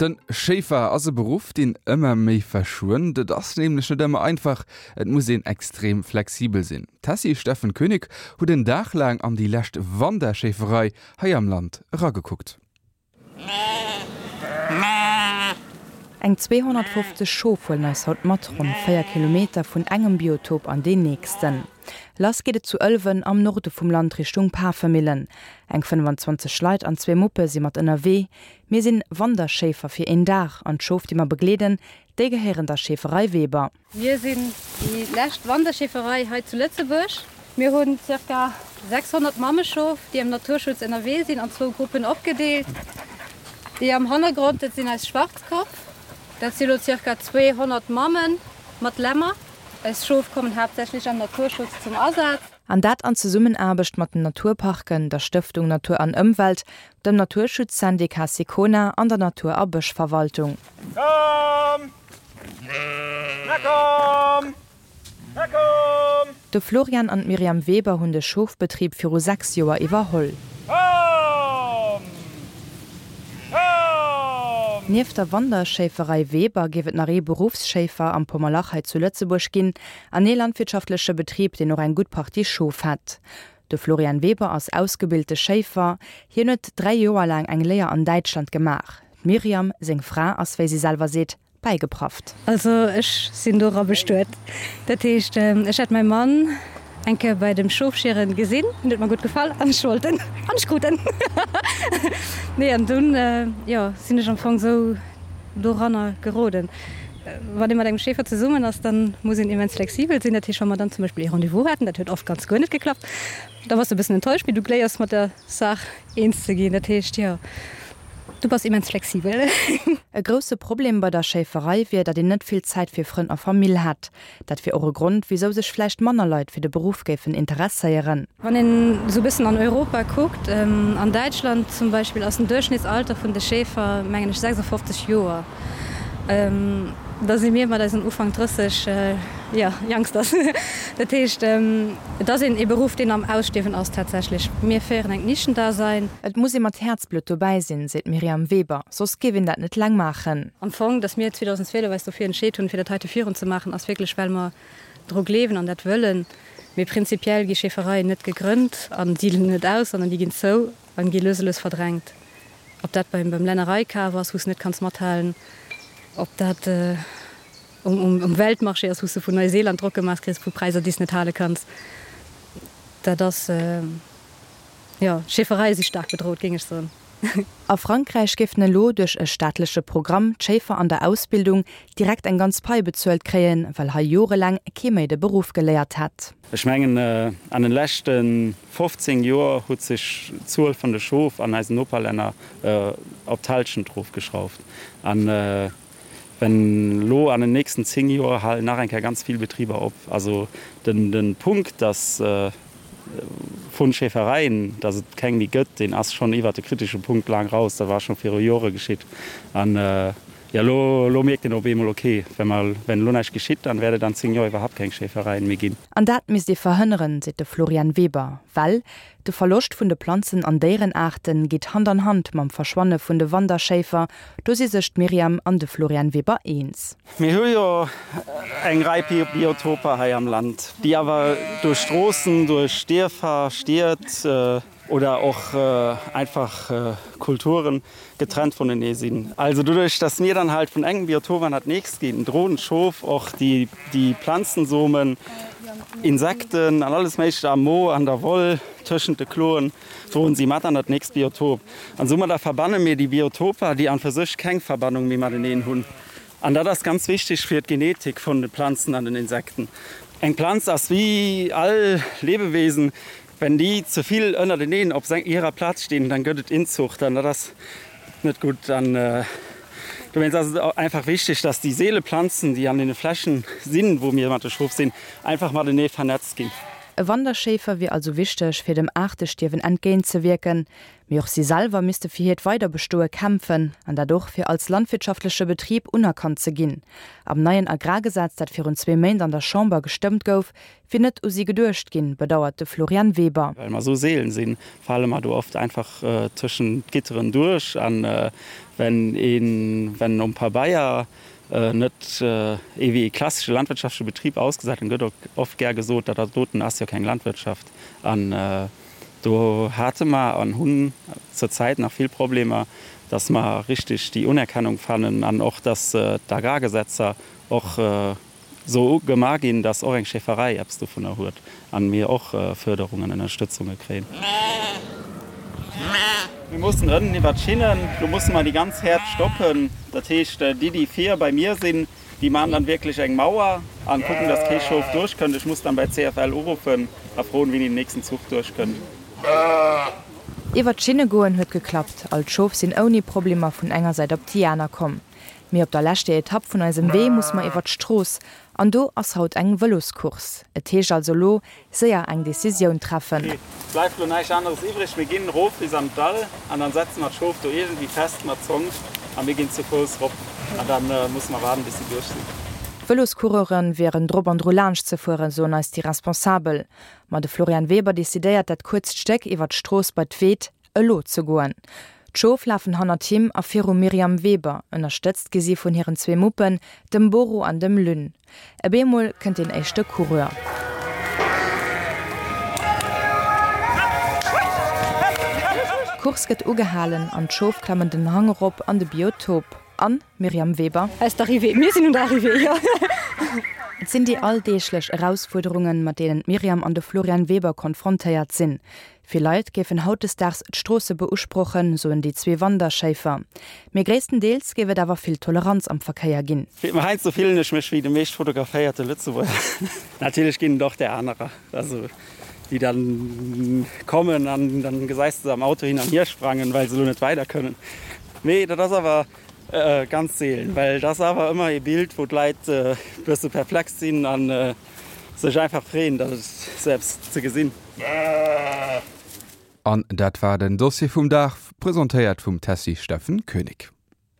Den Schéifer ass e Beruff, deen ëmmer méi verschwënnt. Et ass nämlech net ëmmer einfach, et muss een extrem flexibel sinn. D'Tessy Steffen Koenig huet en Dag laang an déi lescht Wanderschéiferei hei am Land eragekuckt. Eng 250 Schof huelen eis haut mat ronn 4 Kilometer vun engem Biotop an deen nächsten. Lass geet et zu Ëlwen am Norde vum Land Richtung Pafemillen. Eng 25 Leit an zwee Muppe si mat ënnerwee. Mir sinn Wanderschéifer fir een Dag an d'Schof déi mer begleeden, déi gehéieren der Schäferei Weber. Mir sinn déi lescht Wanderschäferei hei zu Lëtzebuerg. Mir hunn ca. 600 Mammeschof, déi am Naturschutz ënnerwee sinn, an zwou Gruppen opgedeelt. Déi am Hannergrond, dat sinn eis Schwarzkopp. Dat si lo ca. 200 Mammen mat Lämmer. Eis Schof kommen haaptsächlech am Naturschutz zum Asaz. An dat an Zesummenaarbecht mat den Naturparken, der Stëftung Natur an Ëmwelt, dem Naturschutzsyndicat Sicona an der Natur a Bëschverwaltung. Komm! Na komm! Na komm! De Florian an d'Myriam Weber hunn de Schofbetrib viru 6 Joer iwwerholl. Komm! Komm! Nieft der Wanderschéiferei Weber géif et nach ee Beruffsschéifer am Pommerlach hei zu Lëtzebuerg ginn an ee landwirtschaftleche Betrib, deen och eng gutt Partie Schof hätt. De Florian Weber ass ausgebilte Schéifer. Hien huet 3 Joer laang eng Léier an Däitschland gemaach. D'Myriam, seng Fra, ass, wéi si selwer seet, bäigeprafft. Also ech sinn dora bestuet. Dat heescht, ech hat mäi Mann eng Kéier bei dem Schofschieren gesinn, en huet mer gutt gefall an ech wollt en an ech krut en. Nee, an dunn, jo, sinn ech am Fong esou doranner geroden. Wann ee mat engem Schäfer zesummen ass, da muss een immens flexibel sinn. Dat heescht, wa mer dann zum Beispill ee Rendez-vous haten, dat huet oft ganz guer net geklappt, da bass de e bëssen enttäuscht, mee du léiers mat der Saach eens ze ginn. Dat heescht, jo, du bass immens flexibel. E grousse Problem bei der Schéiferei wier, datt een net vill Zäit fir Frënn a Famill hätt. Dat wier och e Grond, wisou sech vläicht manner Leit fir de Beruff géifen interesséieren. Wann een esou e bëssen an Europa kuckt, an Däitschland zum Beispill ass den Duerchschnittsalter vun de Schäfer, mengen ech, 56 Joer. Da si mir mat eisen Ufank 30, jo, Youngsters. Dat heescht, et ass een ee Beruff, deen am Ausstierwen ass tatsächlech. Mir féieren engt Nischendasein. Et muss ee mat Häerzblutt dobäi sinn, seet d'Myriam Weber, soss géif een dat net laang maachen. Am Fong, datt mir 2012 eis dofir entscheet hunn, fir dat heite virun ze maachen, ass wierklech, well mer dru gleewen an dat wëllen. Mee prinzipiell gi Schäfereien net gegrënnt a sidelen net aus, sondern déi ginn zou an gi lues a lues verdrängt. Ob dat beim Lännereikaf ass, wou s de net kanns mathalen, ob dat um Weltmarché ass, wou s de vun Neuseeland Drock gemaach kriss vu Präisser, déi s net hale kanns. Dat ass, jo, d'Schäfereie si staark bedroht, géing ech soen. A Frankräich géifen elo duerch e staatleche Programm d'Schéifer an der Ausbildung direkt eng ganz Pai bezuelt kréien, well hei jorelaang kee méi de Beruff geléiert hätt. Ech mengen, an den leschte 15 Joer huet sech d'Zuel vun de Schof an eisen Noperlänner op d'Hallschent erofgeschrauft. An wenn elo an den nächsten 10 Joer halen nach eng Kéier ganz vill Betriber op. Also den Punkt, dass vun Schäfereien, dass et keng méi gëtt, deen ass schonn iwwert de kritesche Punkt laang raus. Dat war scho viru Jore geschitt. An jo, elo, elo mierkt een op eemol, okay, wenn mer, wenn elo näischt geschitt, dann wäert et an 10 Joer iwwerhaupt keng Schäfereien méi ginn. An dat misst ee verhënneren, seet de Florian Weber, well de Verloscht vun de Planzen an Déierenaarte geet Hand an Hand mam Verschwanne vun de Wanderschéifer. Do si sech d'Myriam an de Florian Weber eens. Mir hu jo eng Rei Biotoper hei am Land, déi awer duerch Stroossen, duerch Dierfer, Stied oder och einfach Kulturen getrennt vunenee sinn. Also doduerch, dass mir dann halt vun engem Biotop an dat nächst ginn, droen d'Schof och déi Planzensomen, Insekten an alles Méiglecht am Mo, an der Woll, tëschent de Kloen, droen si mat an dat nächst Biotop. An soumadder verbanne mir déi Biotoper, déi an fir sech keng Verbannung méi mateneen hunn. An dat ass ganz wichteg fir d'Genetik vun de Planzen an den Insekten. Eng Planz ass wéi all Lebewesen, wenn déi ze vill ënnerteneen op hirer Plaz stinn, dann gëtt et Inzucht an dat ass net gutt. An dowéinst ass et einfach wichteg, dass déi seele Planzen, déi an deene Flächen sinn, wou mir mat de Schof sinn, einfach matenee vernetzt ginn. E Wanderschéifer wier also wichteg, fir dem Aartestierwen entgéintzewierken. Mee och si selwer misste fir hiert Weiderbestoe kämpfen, an dat och fir als landwirtschaftleche Betrib unerkannt ze ginn. Am neien Agrargesetz, dat virun zwee Méint an der Chamber gestëmmt gouf, wier net u si geduecht ginn, bedauert de Florian Weber. Well mer esou seelen sinn, fale mer do oft einfach tëschent d'Gitteren duerch. An wenn een, wenn um Pabeier net ee wéi ee klassesche landwirtschaftleche Betrib ausgesäit, dann gëtt oft gär gesot, dat doten ass jo keng Landwirtschaft. An do hate mer an hunn zur Zäit nach vill Problemer, dass mer richtig déi Unerkennung fannen an och, dass d'Agrargesetzer och esou gemaach ginn, dass och eng Schäferei eppes dovunner huet an mir och Förderungen, Ënnerstëtzunge kréien. Mir mussen ënnen iwwer d'Schinnen, do musse mer déi ganz Häerd stoppen. Dat heescht, déi, déi vir bei mir sinn, déi maachen dann wierklech eng Mauer an kucken, dass kee Schof duerchkënnt. Ech muss dann bei CFL uruffen a froen, wéini den nächsten Zuch duerchkënnt. Iwwer d'Schinne goen huet geklappt, all d'Schof sinn ouni Problemer vun enger Säit op déi aner komm. Mee op der leschter Etapp vun eisem Wee muss mer iwwer d'Strooss, an do ass haut eng Vëloscourse. Et heescht also lo séier eng Decisioun treffen. Et bleift lo näischt aneres iwwreg, mir ginn erof bis an d'Dall an dann setze mer d'Schof do iergendwéi fest mat Zong a mir ginn zu Fouss rop an dann musse mer waarden bis si duerch sinn. D'Vëloscoureuren wieren drop an dru laanscht ze fueren, soen eis déi Responsabel. Ma de Florian Weber decidéiert dat kuerzt Stéck iwwer d'Strooss bei d'Weed elo ze goen. D'Schof lafen hannert him a virum Myriam Weber, ënnerstëtzt gi si vun hiren zwee Muppen, dem Boro an dem Lynn. E beemol kënnt deen éischte Coureur. D'Course gëtt ugehalen an d'Schof klammen den Hang erop an de Biotop. An, Myriam Weber? Aus d'Arrivée. Mir sinn un der Arrivée, jo. Et sinn déi alldeeglech Erausfuerderungen, mat deenen d'Myriam an de Florian Weber konfrontéiert sinn. Vill Leit géifen hautdesdaags d'Stroosse beusprochen, soen déi zwee Wanderschéifer. Mee gréisstendeels géif et awer vill Toleranz am Verkéier ginn. Heiansdo fillen ech mech wéi de meescht fotograféierte Lëtzebuerger. Natierlech ginn et och där anerer, also déi dann kommen an dann gesäis de se am Auto hin an hier sprangen, well se elo net weider kënnen. Mee dat ass awer ganz seelen, well et ass awer ëmmer ee Bild, wou d'Leit e bësse perplex sinn an sech einfach freeën, dat selbst ze gesinn. An dat war den Dossier vum Dag, presentéiert vum Tessy Steffen Koenig.